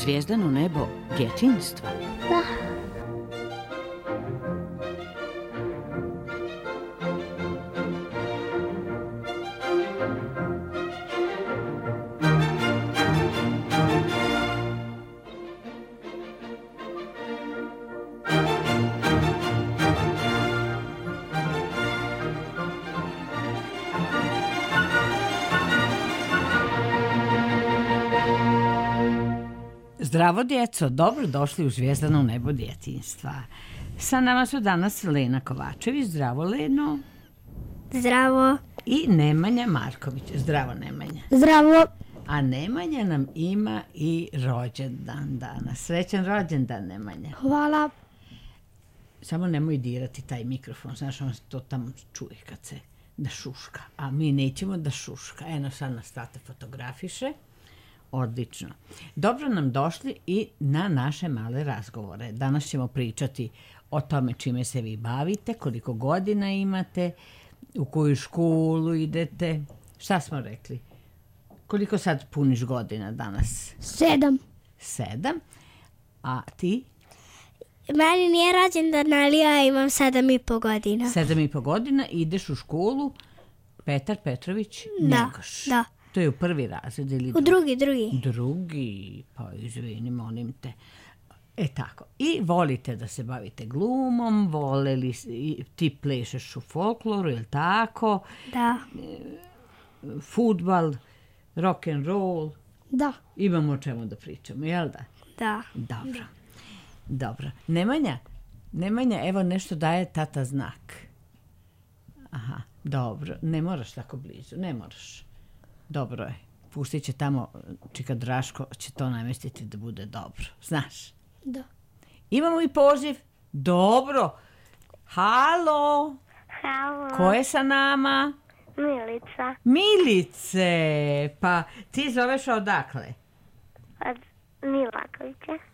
zvijezdano nebo djetinjstva? Da. Zdravo djeco, dobro došli u zvijezdano nebo djetinjstva. Sa nama su danas Lena Kovačević, zdravo Leno. Zdravo. I Nemanja Marković, zdravo Nemanja. Zdravo. A Nemanja nam ima i rođendan danas. Srećan rođendan Nemanja. Hvala. Samo nemoj dirati taj mikrofon, znaš on to tamo čuje kad se da šuška, a mi nećemo da šuška. Eno sad nas tate fotografiše. Odlično. Dobro nam došli i na naše male razgovore. Danas ćemo pričati o tome čime se vi bavite, koliko godina imate, u koju školu idete. Šta smo rekli? Koliko sad puniš godina danas? 7. 7. A ti? Meni nije rođendan, ali ja imam 7,5 godina. 7,5 godina, ideš u školu Petar Petrović Njegoš. Da. To je u prvi razred ili u drugi? Drugi, pa izvini, molim te. Tako. I volite da se bavite glumom, ti plešeš u folkloru, je li tako? Da. Fudbal, rock and roll. Da. Imamo o čemu da pričamo, jel da? Da. Dobro. Nemanja, evo nešto daje tata znak. Aha, dobro. Ne moraš tako blizu, ne moraš. Dobro je. Pustit će tamo, čika Draško će to namestiti da bude dobro. Znaš? Da. Imamo i poziv. Dobro. Halo. Ko je sa nama? Milica. Milice. Pa ti zoveš odakle? Od Milakovića.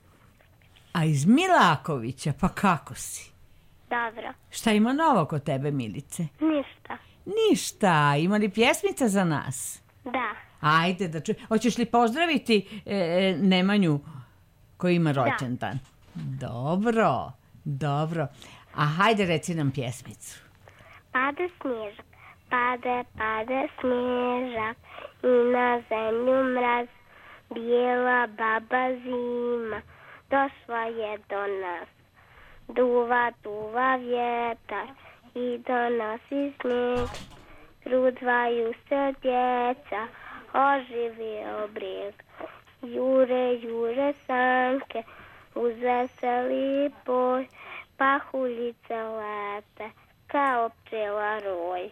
A iz Milakovića? Pa kako si? Dobro. Šta ima novo kod tebe, Milice? Ništa. Ima li pjesmica za nas? Da. Ajde da čujem. Hoćeš li pozdraviti Nemanju koji ima rođendan? Dobro. A hajde reci nam pjesmicu. Pade snježak, pade snježak i na zemlju mraz, bijela baba zima došla je do nas. Duva vjetar i donosi snijeg, trudvaju se djeca, oživio brijeg. Jure sanke uz veseli boj, pahuljice lete kao pčela roj.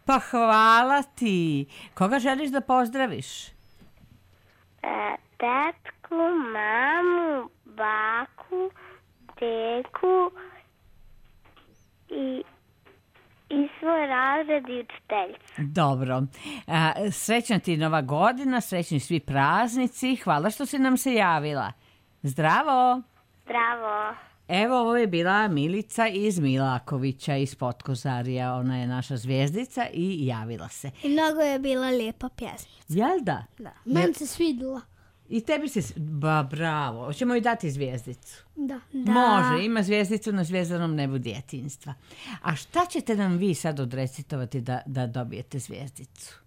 Pa hvala ti. Koga želiš da pozdraviš? Tetku, mamu, baku, teku i svoj razred i učiteljicu. Dobro. Srećna ti nova godina, srećni svi praznici. Hvala što si nam se javila. Zdravo. Evo, ovo je bila Milica iz Milakovića, iz Potkozarija. Ona je naša zvijezdica i javila se. I mnogo je bila lijepa pjesmica. Jel da? Da. Meni se svidjela. I tebi se... Bravo. Hoćemo joj dati zvijezdicu? Da. Može, ima zvijezdicu na zvijezdanom nebu djetinjstva. A šta ćete nam vi sad odrecitovati da dobijete zvijezdicu?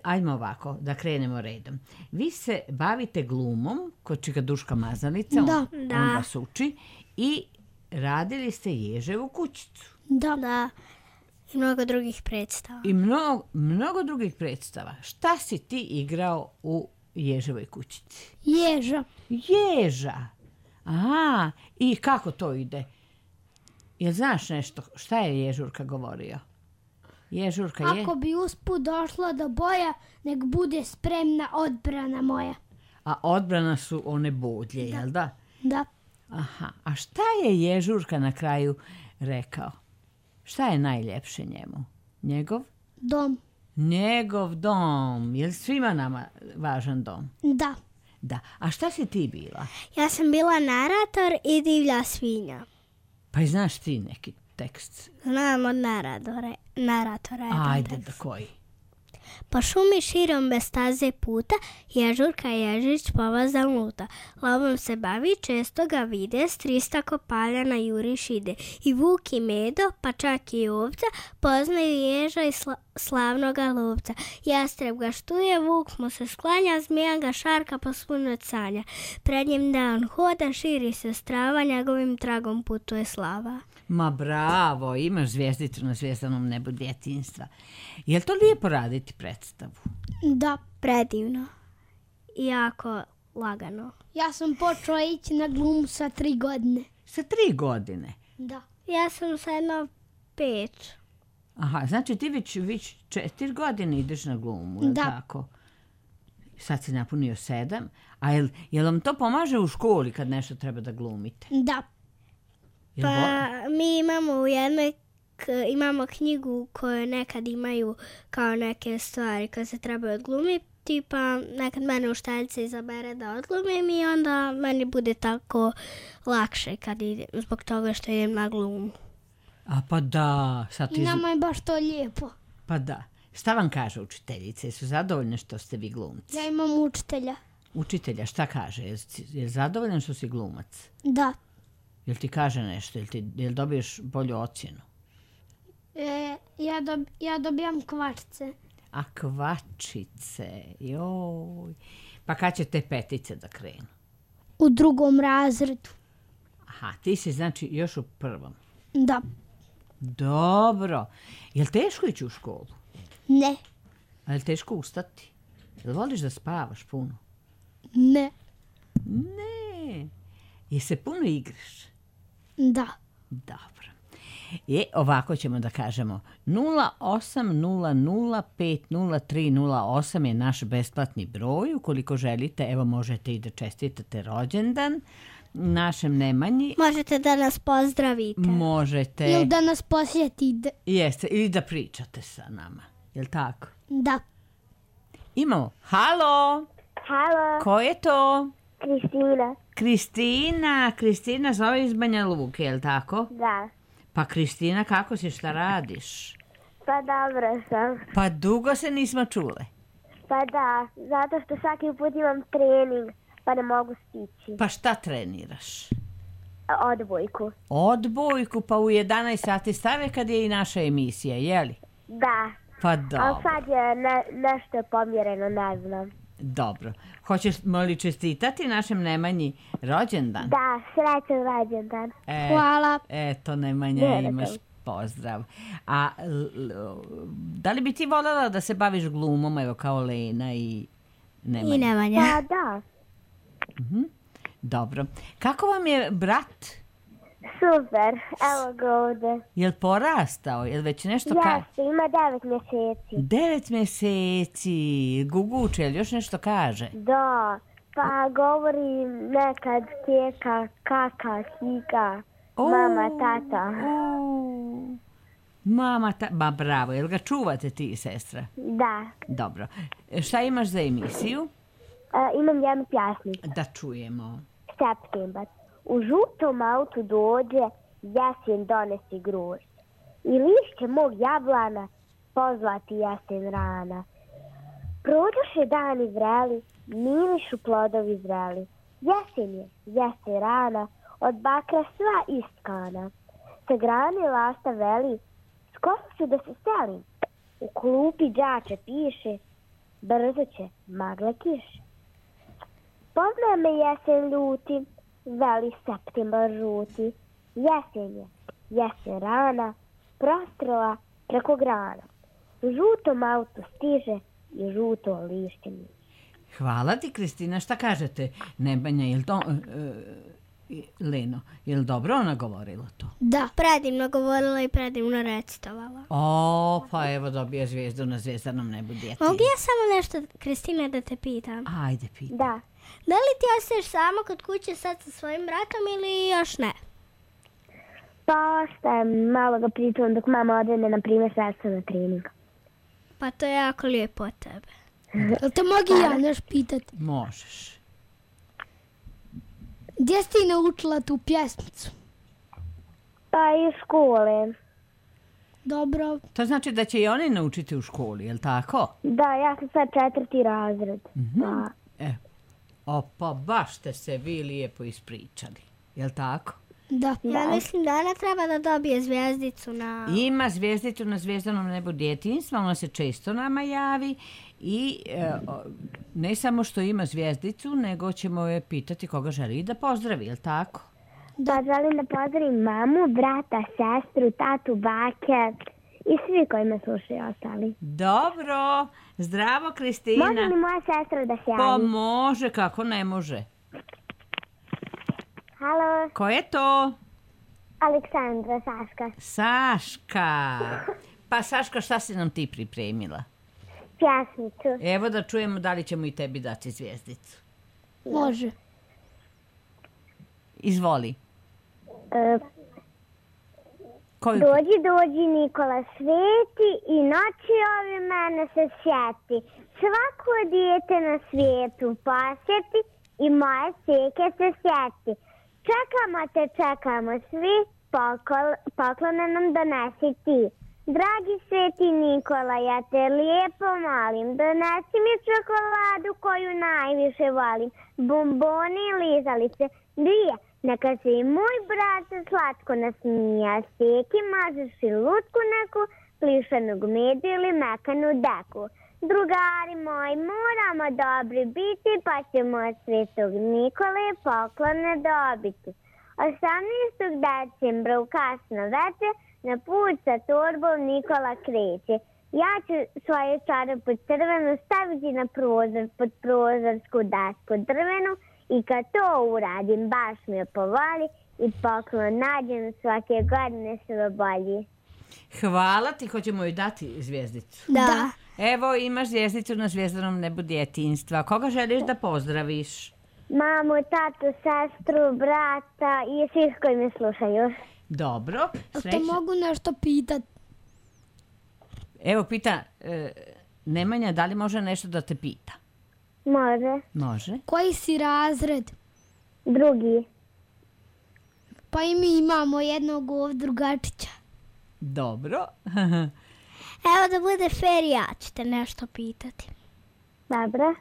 Ajmo ovako, da krenemo redom. Vi se bavite glumom kod čika Duška Mazalica, on vas uči, i radili ste Ježevu kućicu. Da. I mnogo drugih predstava. I mnogo drugih predstava. Šta si ti igrao u Ježevoj kućici? Ježa. Aha, i kako to ide? Jel znaš nešto? Šta je Ježurka govorio? Ježurka je... Ako bi usput došla do boja, nek bude spremna odbrana moja. A odbrana su one bodlje, jel da? Da. Aha, a šta je Ježurka na kraju rekao? Šta je najljepše njemu? Njegov? Dom. Njegov dom. Je li svima nama važan dom? Da. A šta si ti bila? Ja sam bila narator i divlja svinja. Pa i znaš ti neki tekst? Znam od naratora. Ajde, da koji? Po šumi širom bez staze puta, ježurka ježić povazan luta. Lovom se bavi, često ga vide, s 300 kopaljana juriš ide. I vuk i medo, pa čak i ovca, poznaju ježa i slavnoga lovca. Jastreb ga štuje, vuk mu se sklanja, zmija ga šarka po svu noć sanja. Pred njim da on hoda, širi se strava, njegovim tragom putuje slava. Ma bravo, imaš zvjezdicu na zvjezdanom nebu djetinjstva. Je li to lijepo raditi predstavu? Da, predivno. I jako lagano. Ja sam počela ići na glumu sa 3 godine. Sa 3 godine? Da. Ja sam sa 5. Aha, znači ti već 4 godine ideš na glumu, je li tako? Sad si napunio 7. A jel vam to pomaže u školi kad nešto treba da glumite? Da. Pa mi imamo u jednoj imamo knjigu koju nekad imaju kao neke stvari koje se trebaju odglumiti, pa nekad mene učiteljica izabere da odglumim i onda meni bude tako lakše kad idem, zbog toga što idem na glumu. A pa da. I nama je baš to lijepo. Pa da. Šta vam kaže učiteljice? Su zadovoljne što ste vi glumci? Ja imam učitelja. Učitelja, šta kaže? Je zadovoljan što si glumac? Da. Jel ti kaže nešto? Jel dobiješ bolju ocjenu? Ja dobijam kvačice. A kvačice, joj. Pa kad će te 5 da krenu? U 2. razredu. Aha, ti si znači još u 1. Da. Dobro. Jel teško ići u školu? Ne. A jel teško ustati? Jel voliš da spavaš puno? Ne. Ne. Jel se puno igraš? Da. Dobro. Ovako ćemo da kažemo 0800500308 je naš besplatni broj. Ukoliko želite, evo možete i da čestitate rođendan našem Nemanji. Možete da nas pozdravite. Možete. Ili da nas posjetite. Jeste, ili da pričate sa nama. Jel tako? Da. Imamo. Halo. Halo. Ko je to? Kristina. Kristina zove iz Banja Luke, jel tako? Da. Pa Kristina, kako si, šta radiš? Pa dobro sam. Pa dugo se nismo čule. Pa da, zato što svaki put imam trening, pa ne mogu stići. Pa šta treniraš? Odbojku. Odbojku, pa u 11 sati stave kad je i naša emisija, jeli? Da. Pa dobro. Ali sad je nešto pomjereno, ne znam. Dobro. Hoćeš li čestitati našem Nemanji rođendan? Da, srećan rođendan. Hvala. Eto, Nemanja, imaš pozdrav. A da li bi ti voljela da se baviš glumom, evo kao Lena i Nemanja? I Nemanja. Pa da. Dobro. Kako vam je brat? Super, evo ga ovdje. Jel porastao? Jel već nešto Jeste, ima 9 mjeseci. 9 mjeseci. Guguče, jel još nešto kaže? Da, pa govori nekad keka, kaka, hika, mama, tata. Mama, ma bravo, jel ga čuvate ti, sestra? Da. Dobro. Šta imaš za emisiju? Imam jednu pjesmicu. Da čujemo. Septembar. U žutom autu dođe, jesen donesi grožđe. I lišće mog jablana pozlati jesen rana. Prođoše dani vreli, mirišu plodovi zreli. Jesen je, jesen rana, od bakra sva istkana. Sa grane lasta veli, skoro ću da se selim. U klupi đače piše, brzo će magle kiše. Poznaje me jesen ljuti, veli septembar žuti. Jesen je, jesen rana, prostrela preko grana. U žutom autu stiže i žuto lišće miše. Hvala ti, Kristina. Šta kažete, Nebanja, jel to... Leno, jel dobro ona govorila to? Da, predivno govorila i predivno recitovala. O, pa evo dobija zvijezdu na zvijezdanom nebu djeti. Mogu ja samo nešto, Kristina, da te pitam? Ajde, pitam. Da. Da li ti ostaješ samo kod kuće sad sa svojim bratom ili još ne? Pa ostajem, malo ga pričuvam dok mama odvede, na primjer, sredstvo na trening. Pa to je jako lijepo od tebe. Jel te mogu ja nešto pitati? Možeš. Gdje si ti naučila tu pjesmicu? Pa iz škole. Dobro. To znači da će i oni naučiti u školi, je li tako? Da, ja sam sad 4. razred. Pa, Pa baš ste se vi lijepo ispričali, je li tako? Da. Ja mislim da ona treba da dobije zvijezdicu na... Ima zvijezdicu na Zvjezdanom nebu djetinjstva, ona se često nama javi i ne samo što ima zvijezdicu, nego ćemo je pitati koga želi da pozdravi, je li tako? Da, želim da pozdravim mamu, brata, sestru, tatu, bake i svi koji me slušaju ostali. Dobro, zdravo Kristina. Može li moja sestra da se Pa javi? može, kako ne može. Halo, Ko je to? Aleksandra, Saška. Saška. Pa Saška, šta si nam ti pripremila? Pjesmicu. Evo da čujemo da li ćemo i tebi dati zvijezdicu. Može. Izvoli. Koju? Dođi, Nikola sveti i noći ove mene se sjeti. Svako dijete na svijetu posjeti i moje seke se sjeti. Čekamo svi, poklone nam donesi ti. Dragi sveti Nikola, ja te lijepo molim, donesi mi čokoladu koju najviše volim. Bomboni i lizalice, dvije. Neka se i moj brat slatko nasmija, steki mažeš i lutku neku, plišanog medu ili mekanu deku. Drugari moji, moramo dobri biti, pa ćemo od svetog Nikole poklone dobiti. 18. decembra u kasno večer na put sa torbom Nikola kreće. Ja ću svoju čarapu crvenu staviti na prozor, pod prozorsku dasku drvenu, i kad to uradim, baš mi je povoli i poklon nađem svake godine sve bolji. Hvala ti, hoćemo joj dati zvijezdicu. Da. Evo imaš zvijezdicu na Zvjezdanom nebu djetinjstva. Koga želiš da pozdraviš? Mamu, tatu, sestru, brata i svih koji me slušaju. Dobro. Te mogu nešto pitat? Evo pita Nemanja, da li može nešto da te pita? Može. Može. Koji si razred? 2. Pa i mi imamo jednog ovdje drugačića. Dobro. Evo da bude fair, ja ću te nešto pitati. Dobro.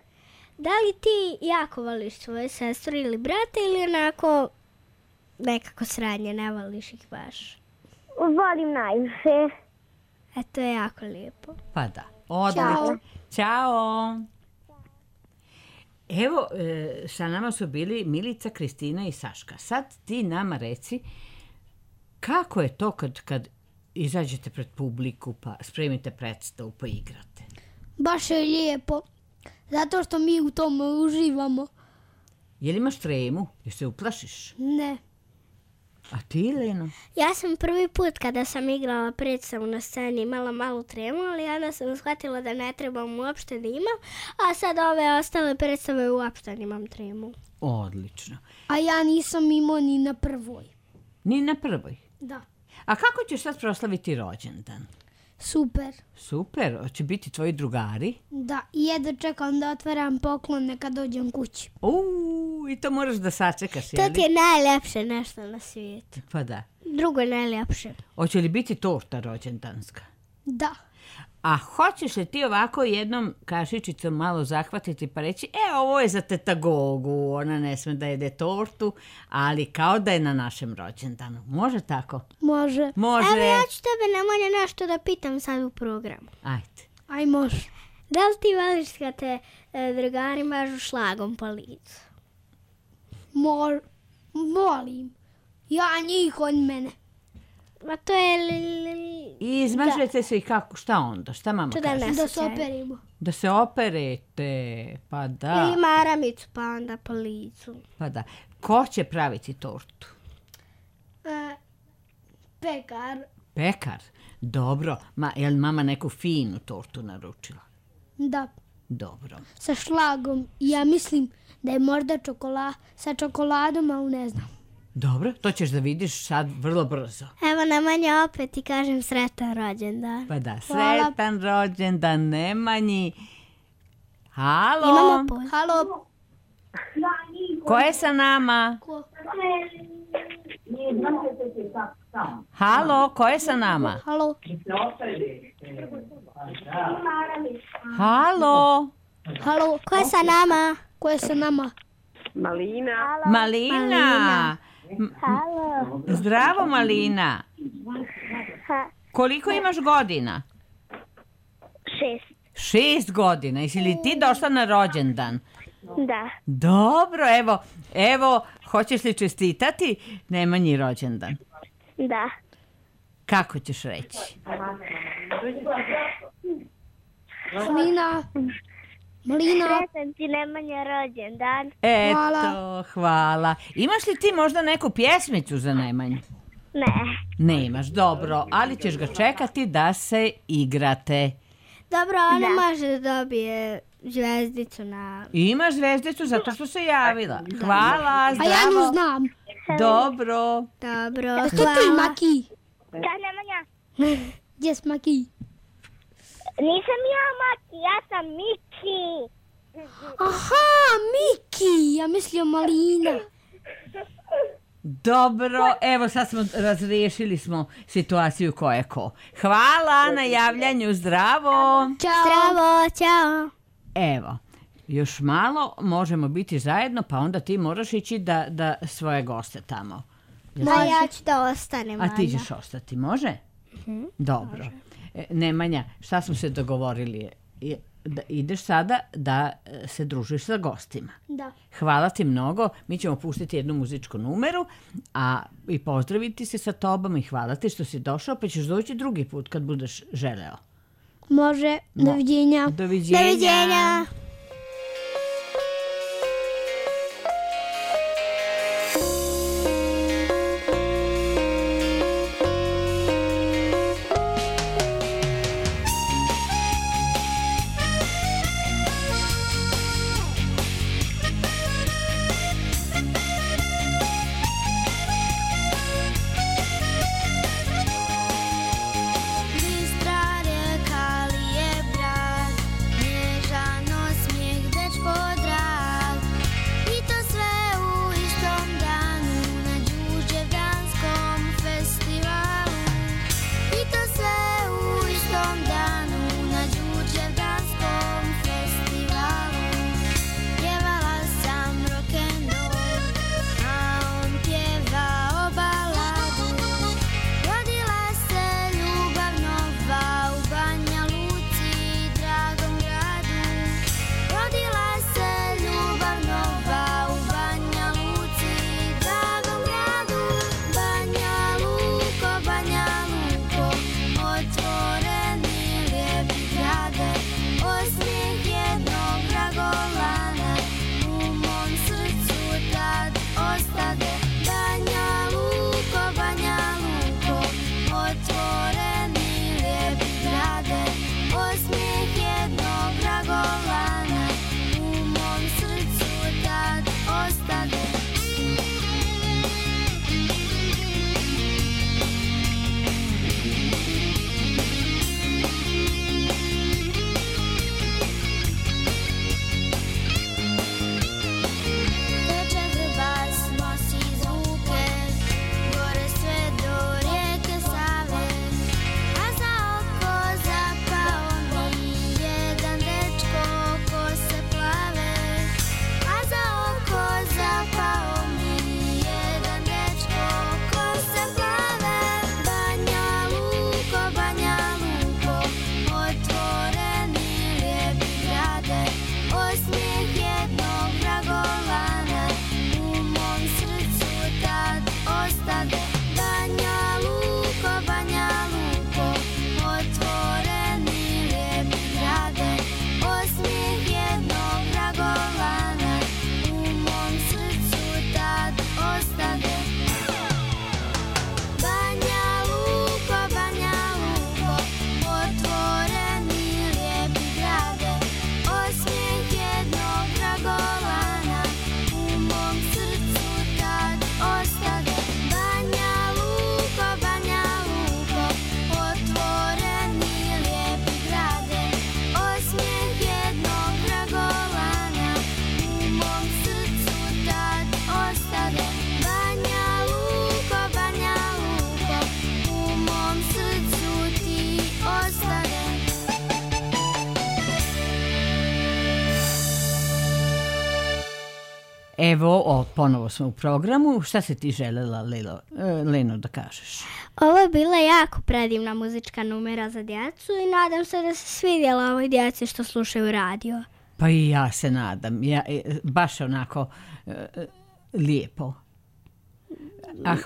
Da li ti jako voliš svoju sestru ili brata ili onako nekako sradnje, ne voliš ih baš? Volim najviše. To je jako lijepo. Pa da. Odlično. Ćao. Evo, sa nama su bili Milica, Kristina i Saška. Sad ti nama reci kako je to kad izađete pred publiku pa spremite predstavu pa igrate? Baš je lijepo, zato što mi u tome uživamo. Je li imaš tremu? Jel se uplašiš? Ne. A ti, Leno? Ja sam prvi put kada sam igrala predstavu na sceni imala malu tremu, ali onda sam shvatila da ne trebam uopšte da imam, a sad ove ostale predstave uopšte nimam tremu. Odlično. A ja nisam imao ni na prvoj. Ni na prvoj? Da. A kako ćeš sad proslaviti rođendan? Super. Super, hoće biti tvoji drugari? Da, i jedno čekam da otvaram poklone kad dođem kući. I to moraš da sačekaš, jel? To ti je najljepše nešto na svijetu. Pa da. Drugo je najljepše. Hoće li biti torta rođendanska? Da. A hoćeš li ti ovako jednom kašičicom malo zahvatiti pa reći ovo je za teta Gogu, ona ne sme da jede tortu, ali kao da je na našem rođendanu. Može tako? Može. Može. Evo ja ću tebe Nemanja nešto da pitam sad u programu. Ajde. Aj može. Da li ti voliš kad te drugari mažu šlagom po licu? Volim. Ja njih od mene. Ma to je... I izmažete se i kako, šta onda? Šta mama kaže? Da se operimo. Da se operete, pa da. Ili maramicu pa onda po licu. Pa da. Ko će praviti tortu? Pekar. Pekar? Dobro. Jel mama neku finu tortu naručila? Da. Dobro. Sa šlagom. Ja mislim da je možda sa čokoladom, ali ne znam. Dobro, to ćeš da vidiš sad vrlo brzo. Evo Nemanja opet ti kažem sretan rođendan. Pa da, sretan rođendan Nemanji. Halo? Imamo Halo? Ko je sa nama? Halo, ko je sa nama? Halo. Halo. Halo, ko je sa nama? Ko je sa nama? Malina. Halo. Zdravo, Malina. Koliko imaš godina? 6. 6 godina. Jesi li ti došla na rođendan? Da. Dobro, evo, hoćeš li čestitati Nemanji rođendan? Da. Kako ćeš reći? Malina. Sretan ti Nemanja rođendan. Eto, hvala. Imaš li ti možda neku pjesmicu za Nemanju? Ne. Nemaš, dobro, ali ćeš ga čekati da se igrate. Dobro, ona može da dobije zvezdicu na... Imaš zvezdicu zato što se javila. Hvala, zdravo. A ja nju znam. Dobro. Dobro, što ti Maki? Kad Nemanja? Gdje s Maki? Nisam ja Maki, ja sam Miki. Aha, Miki, ja mislio Malina. Dobro, evo sad smo razriješili smo situaciju ko je ko. Hvala na javljanju, zdravo. Ćao. Zdravo, ćao. Evo, još malo možemo biti zajedno, pa onda ti moraš ići da svoje goste tamo. Da, ja ću da ostanem. A ti ćeš ostati, može? Dobro. Nemanja, šta smo se dogovorili? Da ideš sada da se družiš sa gostima. Da. Hvala ti mnogo. Mi ćemo pustiti jednu muzičku numeru i pozdraviti se sa tobom i hvala ti što si došao, pa ćeš doći drugi put kad budeš želeo. Može. Doviđenja. Doviđenja. Bistra reka li je brat, nježano Evo, ponovo smo u programu. Šta se ti želela, Leno, da kažeš? Ovo je bila jako predivna muzička numera za djecu i nadam se da se svidjela ovoj djeci što slušaju radio. Pa i ja se nadam. Baš onako lijepo. A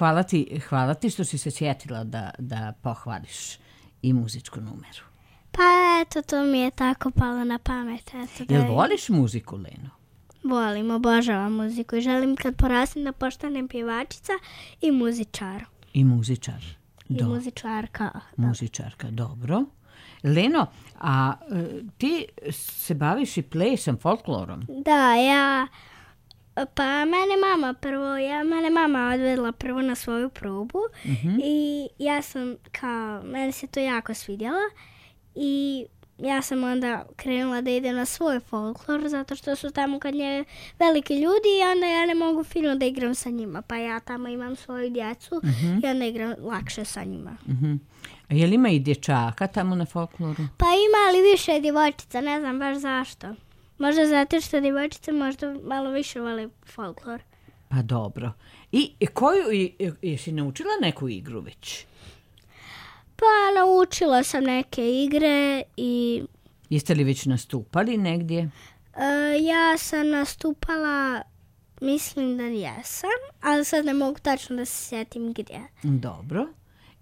hvala ti što si se sjetila da pohvališ i muzičku numeru. Pa eto, to mi je tako palo na pamet. Jel voliš muziku, Leno? Volim, obožavam muziku i želim kad porastim da postanem pjevačica i muzičar. I muzičar. I muzičarka. Muzičarka, dobro. Leno, a ti se baviš i plesom, folklorom? Da, mene mama odvedla prvo na svoju probu i ja sam meni se to jako svidjelo i ja sam onda krenula da idem na svoj folklor zato što su tamo kad nje veliki ljudi i onda ja ne mogu fino da igram sa njima, pa ja tamo imam svoju djecu i onda igram lakše sa njima. A je li ima i dječaka tamo na folkloru? Pa ima, ali više djevojčica, ne znam baš zašto. Možda zato što djevojčice možda malo više vole folklor. Pa dobro. I jesi naučila neku igru već? Pa naučila sam neke igre i... Jeste li već nastupali negdje? Ja sam nastupala, mislim da jesam, ali sad ne mogu tačno da se sjetim gdje. Dobro.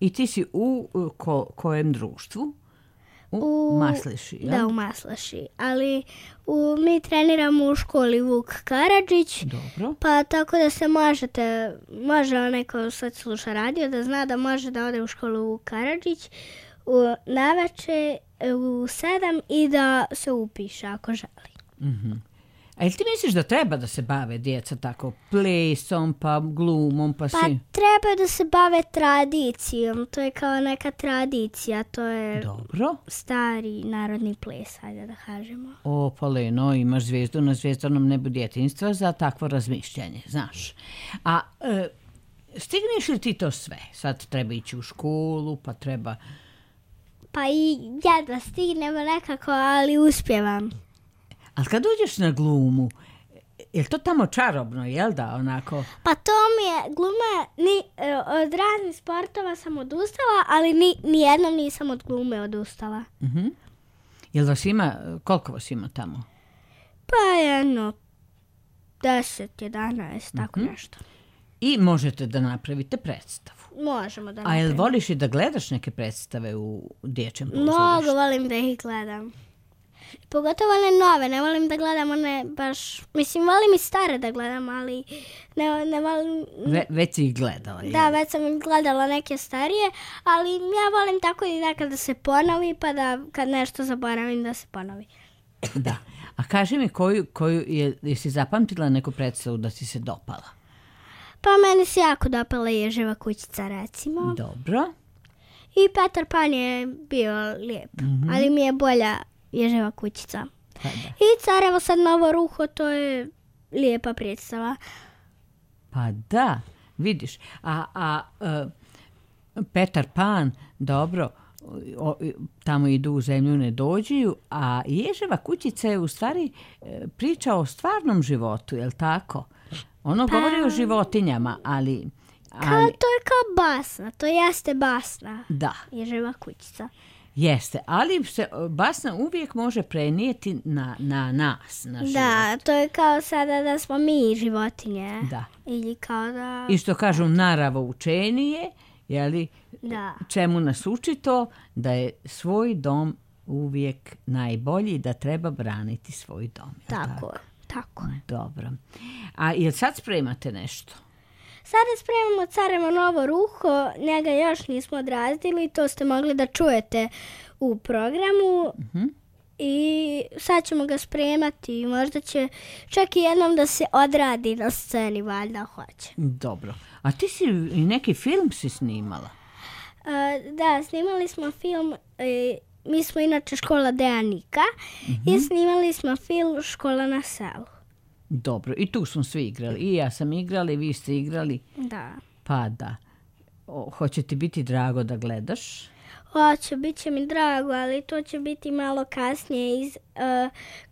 I ti si u kojem društvu? U Masleši, ja? Da, u Masleši. Ali mi treniramo u školi Vuk Karadžić. Dobro. Pa tako da se može onaj ko sad sluša radio da zna da može da ode u školu Vuk Karadžić navečer u 7 i da se upiše ako želi. A jel ti misliš da treba da se bave djeca tako plesom, pa glumom, pa Pa treba da se bave tradicijom, to je kao neka tradicija, to je dobro. Stari narodni ples, hajde da kažemo. O, pa Leno, imaš zvijezdu na zvjezdanom nebu djetinjstva za takvo razmišljanje, znaš. A stigneš li ti to sve? Sad treba ići u školu, pa treba... Pa i jedva stignemo nekako, ali uspjevam. Ali kad uđeš na glumu, je to tamo čarobno, jel da, onako? Pa to mi je, gluma, od raznih sportova sam odustala, ali nijednom nisam od glume odustala. Jel vas ima, koliko vas ima tamo? Pa 10, 11, tako nešto. I možete da napravite predstavu? Možemo da A napravimo. jel voliš i da gledaš neke predstave u dječjem pozorištu? Mnogo volim da ih gledam. Pogotovo one nove, ne volim da gledam one baš... Mislim, volim i stare da gledam, ali ne volim... Već si ih gledala, jel? Da, već sam gledala neke starije, ali ja volim tako i nekad da se ponovi, pa da kad nešto zaboravim da se ponovi. Da. A kaži mi jesi zapamtila neku predstavu da ti se dopala? Pa meni se jako dopala Ježeva kućica, recimo. Dobro. I Petar Pan je bio lijep, ali mi je bolja Ježeva kućica. Pa da. I Carevo sad novo ruho, to je lijepa predstava. Pa da, vidiš. A Petar Pan, dobro, tamo idu u zemlju ne dođiju, a Ježeva kućica je u stvari priča o stvarnom životu, je li tako? Ono govori o životinjama, ali... To je kao basna, to jeste basna. Da. Ježeva kućica. Jeste, ali se basna uvijek može prenijeti na nas, na život. Da, to je kao sada da smo mi životinje. Da. Ili kao da... I što kažu naravo učenije, jeli, da. Čemu nas uči to? Da je svoj dom uvijek najbolji, da treba braniti svoj dom. Tako. Dobro. A jel sad spremate nešto? Sada spremamo Carevo novo ruho, njega još nismo odradili, to ste mogli da čujete u programu i sad ćemo ga spremati, možda će čak i jednom da se odradi na sceni, valjda hoće. Dobro. A ti si i neki film si snimala? Da, snimali smo film, mi smo inače škola Dejanika i snimali smo film Škola na selu. Dobro, i tu smo svi igrali. I ja sam igrala i vi ste igrali. Da. Pa da. Hoće ti biti drago da gledaš? Hoću, bit će mi drago, ali to će biti malo kasnije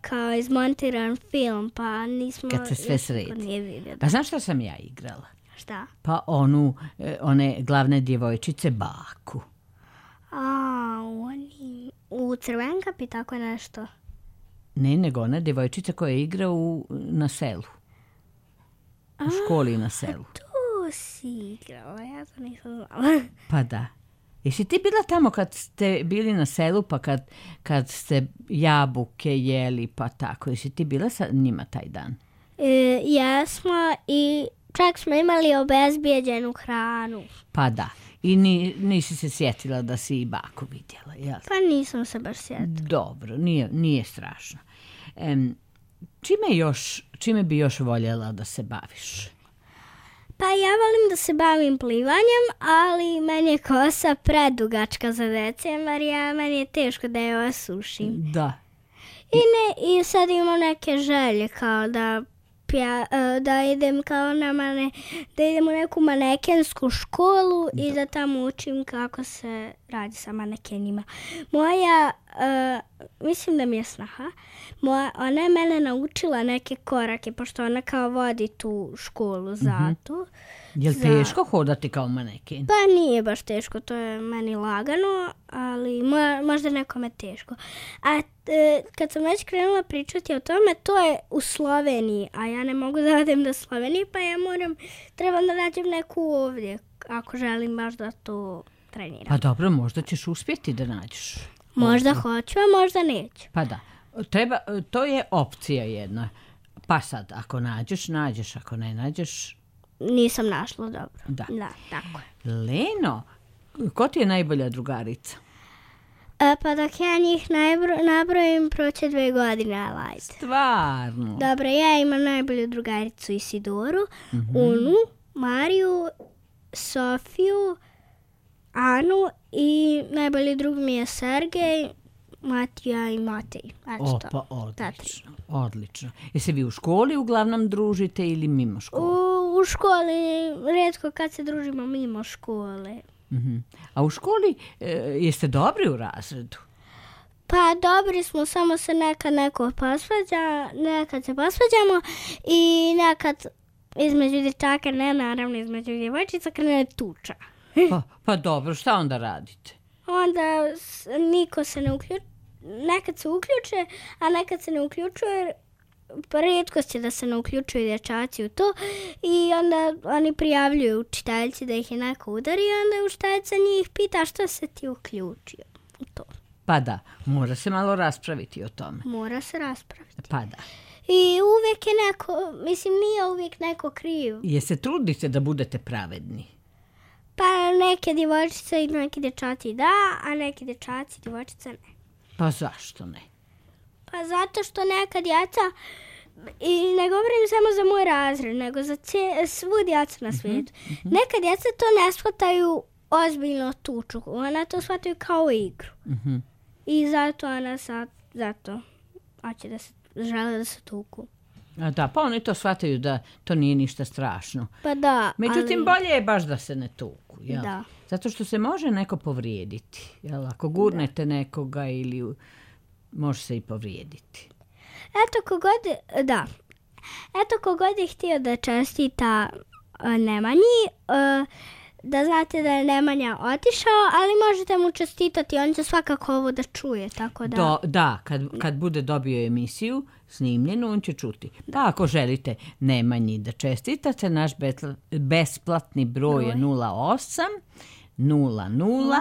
kao izmontiran film, pa nismo... Kad se sve sredi. Nije vidio. A znaš šta sam ja igrala? Šta? Pa one glavne djevojčice baku. U Crvenkapi tako nešto? Ne, nego ona djevojčica koja igra na selu. U školi na selu. Tu si igrala, ja to nisam znala. Pa da. Jesi ti bila tamo kad ste bili na selu, pa kad ste jabuke jeli, pa tako? Jesi ti bila sa njima taj dan? Jesmo i čak smo imali obezbijeđenu hranu. Pa da. I nisi se sjetila da si i baku vidjela, jel? Pa nisam se baš sjetila. Dobro, nije strašno. Čime bi još voljela da se baviš? Pa ja volim da se bavim plivanjem, ali meni je kosa predugačka za decembar, meni je teško da je osušim. Da. I sad imam neke želje kao da idem da idem u neku manekensku školu i da tamo učim kako se radi sa manekenima. Moja, mislim da mi je snaha, ona je mene naučila neke korake, pošto ona kao vodi tu školu zato. Je li teško hodati kao maneken? Pa nije baš teško, to je meni lagano, ali možda nekome teško. A kad sam već krenula pričati o tome, to je u Sloveniji, a ja ne mogu da odem do Slovenije, pa ja trebam da nađem neku ovdje, ako želim baš da to treniram. Pa dobro, možda ćeš uspjeti da nađeš. Možda hoću, a možda neću. Pa da, to je opcija jedna. Pa sad, ako nađeš, ako ne nađeš... Nisam našla dobro. Da, tako. Leno, ko ti je najbolja drugarica? Pa dok ja njih nabrojim, proće 2 godine, ali ajde. Stvarno? Dobro, ja imam najbolju drugaricu Isidoru, Unu, Mariju, Sofiju, Anu i najbolji drug mi je Sergej, Matija i Matej. Pa odlično. Jesi vi u školi uglavnom družite ili mimo škole? U školi, rijetko kad se družimo mimo škole. A u školi jeste dobri u razredu? Pa dobri smo, samo se nekad neko posvađa, nekad se posvađamo i nekad između dječaka, ne naravno između djevojčica, krene tuča. Pa dobro, šta onda radite? Onda niko se ne uključuje, nekad se uključe, a nekad se ne uključuje, rijetkost je da se ne uključuju dječaci u to i onda oni prijavljuju učiteljici da ih je neko udari i onda učiteljica njih pita što se ti uključio u to. Pa da, mora se malo raspraviti o tome. Mora se raspraviti. Pa da. I uvijek je nije uvijek neko kriv. Se trudite da budete pravedni? Pa neke djevojčice i neki dječaci da, a neki dječaci i djevojčice ne. Pa zašto ne? Pa zato što neka djeca, i ne govorim samo za moj razred, nego za svu djecu na svijetu. Neka djeca to ne shvataju ozbiljno tuču, ona to shvataju kao igru. I zato ona zato hoće žele da se tuku. Da, pa oni to shvataju da to nije ništa strašno. Pa da, međutim, bolje je baš da se ne tuku. Jel? Da. Zato što se može neko povrijediti. Jel? Ako gurnete nekoga ili može se i povrijediti. Eto kogod je htio da čestita Nemanji, da znate da je Nemanja otišao, ali možete mu čestitati, on će svakako ovo da čuje, tako da... Da, kad bude dobio emisiju snimljenu, on će čuti. Da, ako želite Nemanji da čestitate, naš besplatni broj je 08 00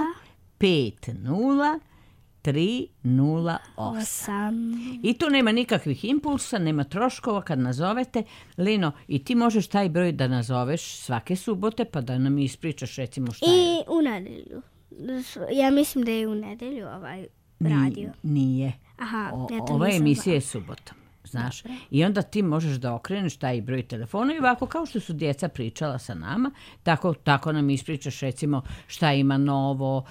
50 308. I tu nema nikakvih impulsa, nema troškova kad nazovete. Leno, i ti možeš taj broj da nazoveš svake subote pa da nam ispričaš recimo šta je. I u nedjelju. Ja mislim da je u nedjelju ovaj radio. Nije. Aha, ova emisija je subotom. Znaš, i onda ti možeš da okreneš taj broj telefona i ovako kao što su djeca pričala sa nama, tako nam ispričaš recimo šta ima novo,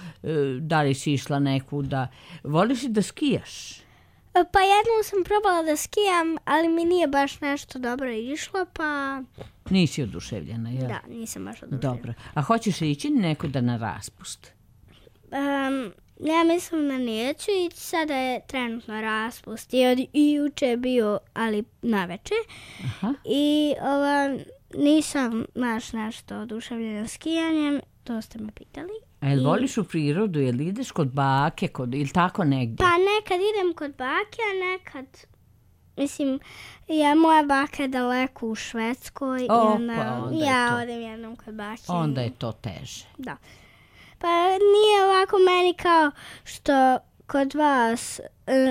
da li si išla nekuda. Voliš li da skijaš? Pa jednom sam probala da skijam, ali mi nije baš nešto dobro išlo, pa... Nisi oduševljena, jel? Da, nisam baš oduševljena. Dobro. A hoćeš li ići nekuda na raspust? Ja mislim da neću ići, sada je trenutno raspust i juče je bio, ali naveče. Aha. I nisam nešto oduševljena skijanjem, to ste me pitali. A jel voliš u prirodu, jel ideš kod bake, ili tako negdje? Pa nekad idem kod bake, a nekad, mislim, moja baka je daleko u Švedskoj i onda ja odem jednom kod bake. Onda je to teže. Da. Pa nije ovako meni kao što kod vas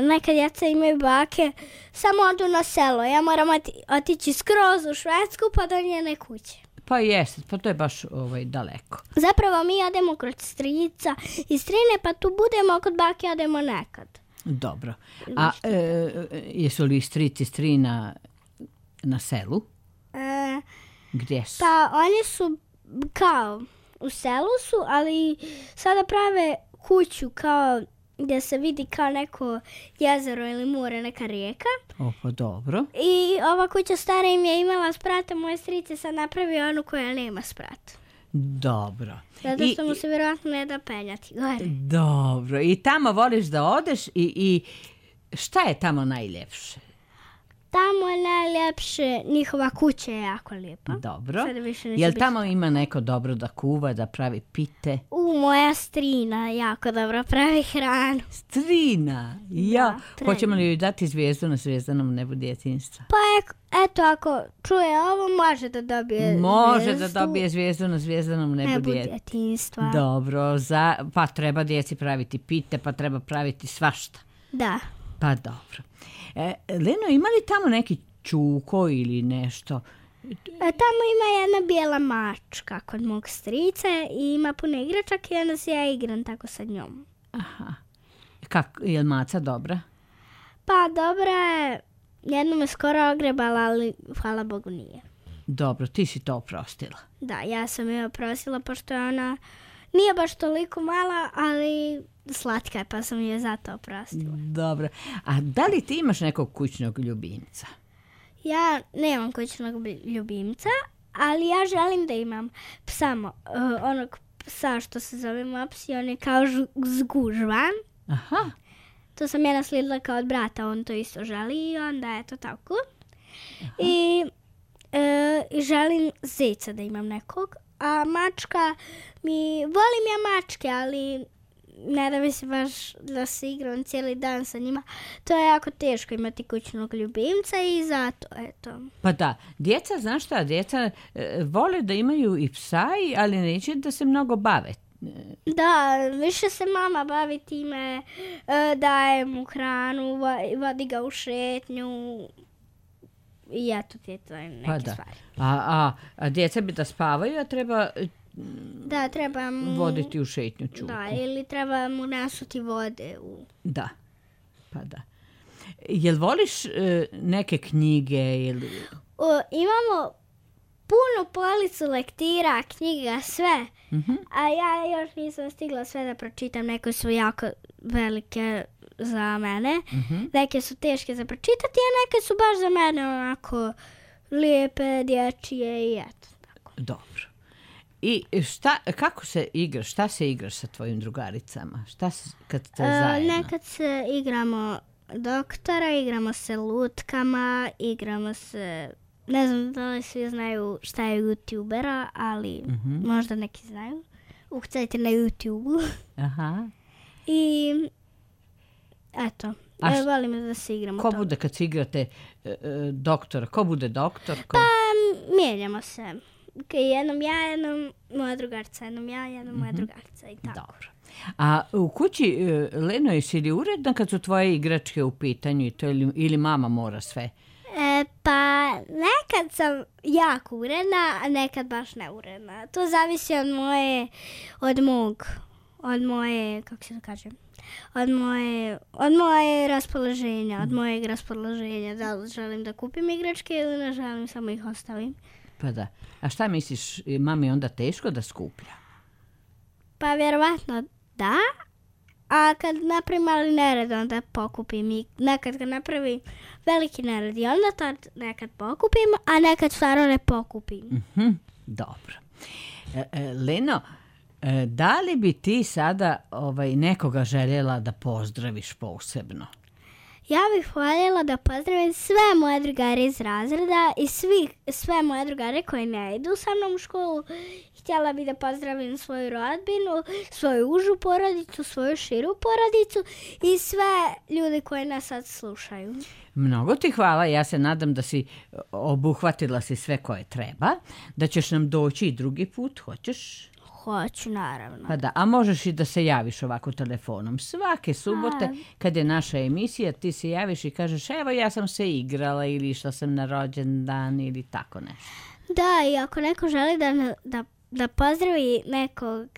neka djeca imaju bake, samo odu na selo. Ja moram otići skroz u Švedsku pa do njene kuće. Pa jeste, pa to je baš daleko. Zapravo mi odemo kod strica i strine, pa tu budemo kod bake, odemo nekad. Dobro. A jesu li strici strina na selu? Gdje su? Pa oni su kao u selu su, ali sada prave kuću kao gdje se vidi kao neko jezero ili more, neka rijeka. O, pa dobro. I ova kuća stara im je imala sprat, a moje strice sad napravio onu koja nema sprat. Dobro. Zato što mu se vjerojatno ne da penjati gore. Dobro. I tamo voliš da odeš i šta je tamo najljepše? Tamo je najljepše, njihova kuća je jako lijepa. Dobro. Jel tamo ima neko dobro da kuva, da pravi pite? Moja strina jako dobro pravi hranu. Strina? Ja. Hoćemo li joj dati zvijezdu na zvezdanom nebu djetinjstva? Pa eto, ako čuje ovo, može da dobije Može da dobije zvijezdu na zvezdanom nebu djetinjstva. Dobro. Pa treba djeci praviti pite, pa treba praviti svašta. Da. Pa dobro. Leno, ima li tamo neki čuko ili nešto? Tamo ima jedna bijela mačka kod mog strica i ima puno igračaka i onda se ja igram tako sa njom. Aha. Je li maca dobra? Pa dobra je. Jednom je skoro ogrebala, ali hvala Bogu nije. Dobro, ti si to oprostila. Da, ja sam je oprostila pošto je ona nije baš toliko mala, ali slatka je, pa sam je zato oprostila. Dobro. A da li ti imaš nekog kućnog ljubimca? Ja nemam kućnog ljubimca, ali ja želim da imam psa, onog psa što se zove Mops i on je kao zgužvan. Aha. To sam ja naslijedila kao od brata, on to isto želi i onda je to tako. I želim zeca da imam nekog, a mačka volim ja mačke, ali ne da mi se baš da se igram cijeli dan sa njima. To je jako teško imati kućnog ljubimca i zato, eto. Pa da, djeca, znaš šta, djeca vole da imaju i psa, ali neće da se mnogo bave. Da, više se mama bavi time, daje mu hranu, vodi ga u šetnju i eto ti je to neke stvari. A djeca bi da spavaju, a treba... Da, treba mu... voditi u šetnju čuku. Da, ili treba mu nasuti vode u... Da, pa da. Jel voliš neke knjige ili... Imamo puno policu lektira, knjiga, sve. Mm-hmm. A ja još nisam stigla sve da pročitam, neke su jako velike za mene. Mm-hmm. Neke su teške za pročitati, a neke su baš za mene onako lijepe, dječje i eto. Tako. Dobro. I kako se igraš, šta se igraš sa tvojim drugaricama? Kad ste zajedno? Nekad se igramo doktora, igramo se lutkama, igramo se... Ne znam da li svi znaju šta je YouTubera, ali možda neki znaju. Ukucajte na YouTube-u. Aha. I eto, volim da se igramo. Ko bude kad se igrate doktora? Ko bude doktor? Pa mijenjamo se. Jednom ja, jednom moja drugarica, jednom ja, jednom moja drugarica i tako. Dobro. A u kući, Leno, jesi li uredna kad su tvoje igračke u pitanju i to ili mama mora sve? Pa nekad sam jako uredna, a nekad baš neuredna. To zavisi od moje, kako se to kaže, od moje raspoloženja, od mojeg raspoloženja. Da li želim da kupim igračke ili ne želim, samo ih ostavim. Pa da. A šta misliš, mami onda teško da skuplja? Pa vjerovatno da. A kad napravim mali nered, onda pokupim i nekad kad napravim veliki nered i onda tad nekad pokupim, a nekad stvarno ne pokupim. Dobro. Leno, Da li bi ti sada nekoga željela da pozdraviš posebno? Ja bih voljela da pozdravim sve moje drugare iz razreda i sve moje drugare koji ne idu sa mnom u školu. Htjela bih da pozdravim svoju rodbinu, svoju užu porodicu, svoju širu porodicu i sve ljude koji nas sad slušaju. Mnogo ti hvala, ja se nadam da si obuhvatila si sve koje treba, da ćeš nam doći i drugi put, hoćeš? Hoću, naravno. Pa da, a možeš i da se javiš ovako telefonom. Svake subote, kad je naša emisija, ti se javiš i kažeš, evo ja sam se igrala ili išla sam na rođendan ili tako nešto. Da, i ako neko želi da pozdravi nekog,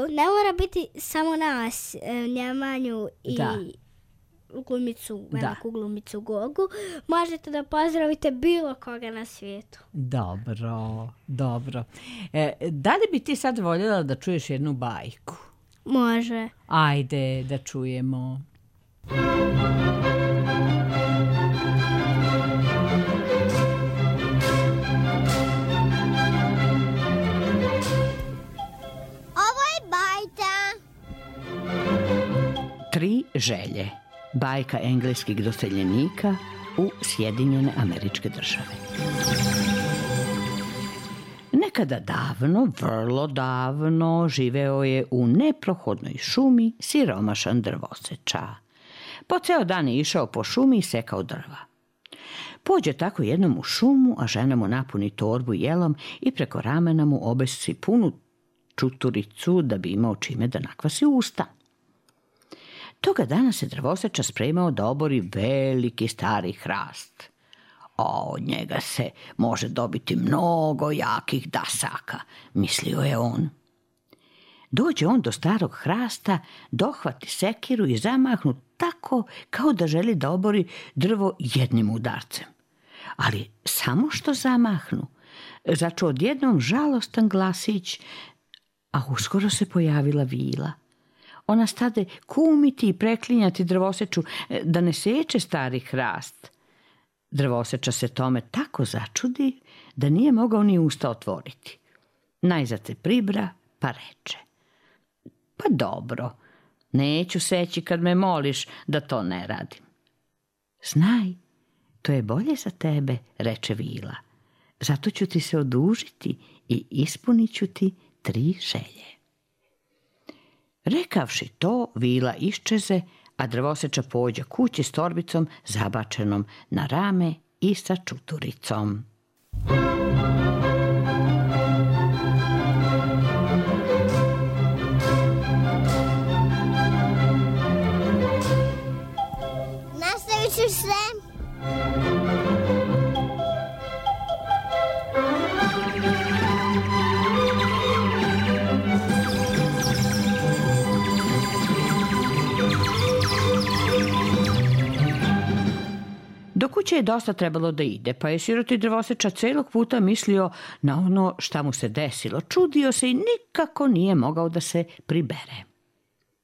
ne mora biti samo nas, Njemanju i glumicu, veliku glumicu Gogu, možete da pozdravite bilo koga na svijetu. Dobro. Da li bi ti sad voljela da čuješ jednu bajku? Može. Ajde da čujemo. Ovo je bajka. 3 želje. Bajka engleskih doseljenika u Sjedinjene Američke Države. Nekada davno, vrlo davno, živeo je u neprohodnoj šumi siromašan drvoseča. Po ceo dan je išao po šumi i sekao drva. Pođe tako jednom u šumu, a žena mu napuni torbu jelom i preko ramena mu obesi punu čuturicu da bi imao čime da nakvasi usta. Toga dana se drvoseča spremao da obori veliki stari hrast. Od njega se može dobiti mnogo jakih dasaka, mislio je on. Dođe on do starog hrasta, dohvati sekiru i zamahnu tako kao da želi da obori drvo jednim udarcem. Ali samo što zamahnu, začuo odjednom žalostan glasić, a uskoro se pojavila vila. Ona stade kumiti i preklinjati drvoseču da ne seče stari hrast. Drvoseča se tome tako začudi da nije mogao ni usta otvoriti. Najzad se pribra pa reče: pa dobro, neću seći kad me moliš da to ne radim. Znaj, to je bolje za tebe, reče vila. Zato ću ti se odužiti i ispunit ću ti 3 želje. Rekavši to, vila iščeze, a drvoseča pođe kući s torbicom zabačenom na rame i sa čuturicom. Nastavit ću sve. Do kuće je dosta trebalo da ide, pa je siroti drvoseča celog puta mislio na ono šta mu se desilo. Čudio se i nikako nije mogao da se pribere.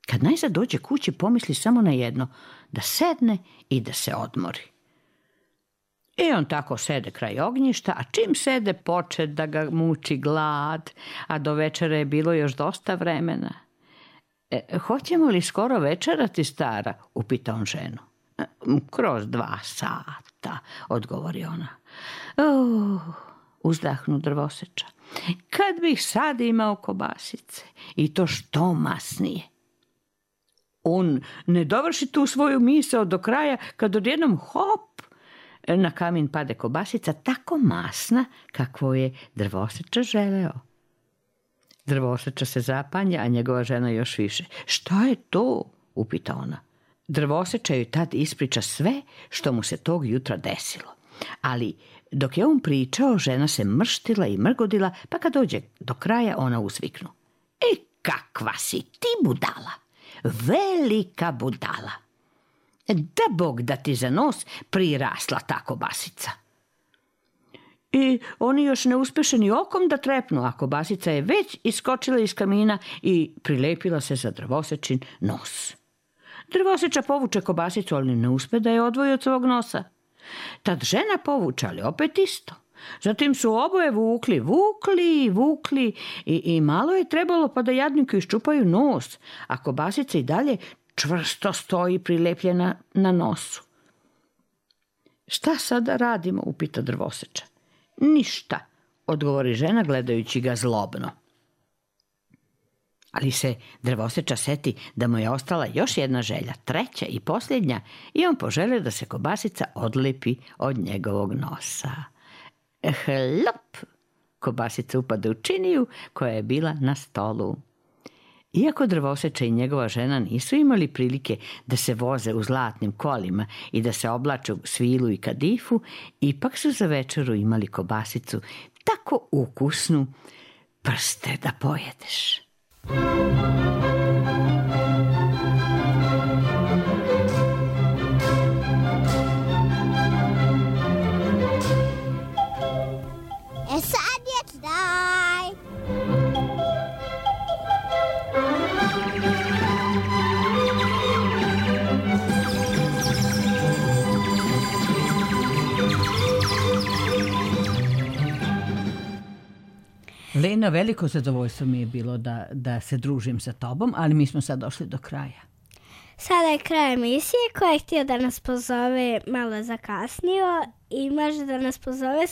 Kad najzad dođe kući, pomisli samo na jedno, da sedne i da se odmori. I on tako sede kraj ognjišta, a čim sede poče da ga muči glad, a do večera je bilo još dosta vremena. Hoćemo li skoro večerati, stara? Upita on ženu. Kroz 2 sata, odgovori ona. Uzdahnu drvoseča. Kad bih sad imao kobasice i to što masnije. On ne dovrši tu svoju misao do kraja kad odjednom hop, na kamin pade kobasica tako masna kakvo je drvoseča želeo. Drvoseča se zapanja, a njegova žena još više. Šta je to? Upita ona. Drvoseča joj tad ispriča sve što mu se tog jutra desilo. Ali dok je on pričao, žena se mrštila i mrgodila, pa kad dođe do kraja ona uzviknu. Kakva si ti budala! Velika budala! Da Bog da ti za nos prirasla ta kobasica. I oni još ne uspeše ni okom da trepnu, a kobasica je već iskočila iz kamina i prilepila se za drvosečin nos. Drvoseča povuče kobasicu, ali ne uspe da je odvoji od svog nosa. Tad žena povuče, ali opet isto. Zatim su oboje vukli i malo je trebalo pa da jadniku iščupaju nos, a kobasica i dalje čvrsto stoji prilepljena na nosu. Šta sada radimo, upita drvoseča. Ništa, odgovori žena gledajući ga zlobno. Ali se drvoseča seti da mu je ostala još jedna želja, treća i posljednja, i on poželi da se kobasica odlepi od njegovog nosa. Hlop! Kobasica upada u činiju koja je bila na stolu. Iako drvoseča i njegova žena nisu imali prilike da se voze u zlatnim kolima i da se oblače u svilu i kadifu, ipak su za večeru imali kobasicu tako ukusnu, prste da pojedeš. Sad je taj. Lena, veliko zadovoljstvo mi je bilo da se družim sa tobom, ali mi smo sad došli do kraja. Sada je kraj emisije. Ko je htio da nas pozove, malo zakasnio i može da nas pozove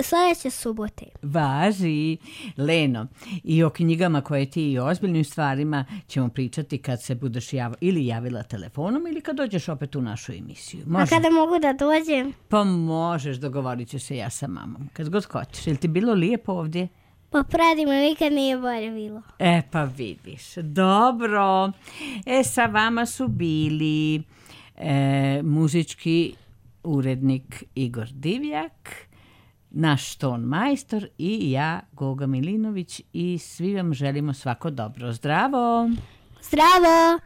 sljedeće subote. Važi. Leno, i o knjigama koje ti i o ozbiljnim stvarima ćemo pričati kad se budeš ili javila telefonom ili kad dođeš opet u našu emisiju. Može? A kada mogu da dođem? Pa možeš, dogovorit ću se ja sa mamom. Kad god hoćeš. Je li ti bilo lijepo ovdje? Pa predivno, nikad nije bolje bilo. Pa vidiš. Dobro. Sa vama su bili muzički urednik Igor Divjak, naš ton majstor i ja, Goga Milinović, i svi vam želimo svako dobro. Zdravo! Zdravo!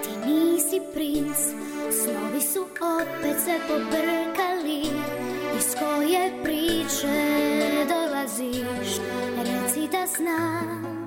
Ti nisi princ, snovi su opet se pobrkali. Iz koje priče dolaziš, reci da znam.